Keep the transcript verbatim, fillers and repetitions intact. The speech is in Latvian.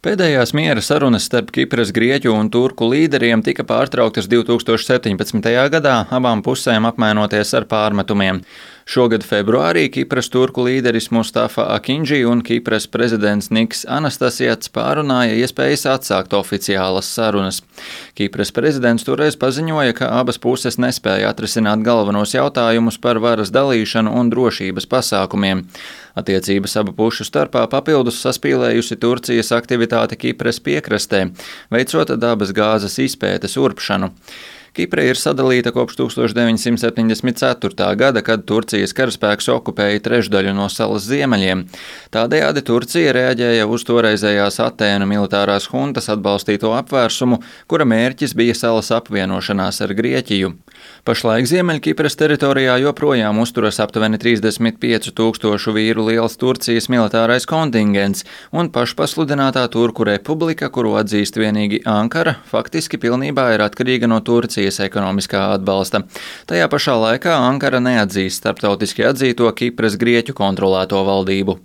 Pēdējās miera sarunas starp Kipras, Grieķu un Turku līderiem tika pārtrauktas divs tūkstoši septiņpadsmitajā gadā, abām pusēm apmainoties ar pārmetumiem. Šogad februārī Kipras turku līderis Mustafa Akinji un Kipras prezidents Niks Anastasijats pārunāja iespējas atsākt oficiālas sarunas. Kipras prezidents toreiz paziņoja, ka abas puses nespēja atrisināt galvenos jautājumus par varas dalīšanu un drošības pasākumiem. Attiecības abu pušu starpā papildus saspīlējusi Turcijas aktivitāte Kipras piekrastē, veicot dabas gāzes izpētes urpšanu. Kipra ir sadalīta kopš tūkstoš deviņsimt septiņdesmit ceturtā gada, kad Turcijas karaspēks okupēja trešdaļu no salas ziemeļiem. Tādējādi Turcija reaģēja uz toreizējās Atēnu militārās huntas atbalstīto apvērsumu, kura mērķis bija salas apvienošanās ar Grieķiju. Pašlaik Ziemeļkipras teritorijā joprojām uzturas aptuveni trīsdesmit piecu tūkstošu vīru liels Turcijas militārais kontingents, un pašpasludinātā Turku republika, kuru atzīst vienīgi Ankara, faktiski pilnībā ir atkarīga no Turcijas ekonomiskā atbalsta. Tajā pašā laikā Ankara neatzīst starptautiski atzīto Kipras Grieķu kontrolēto valdību.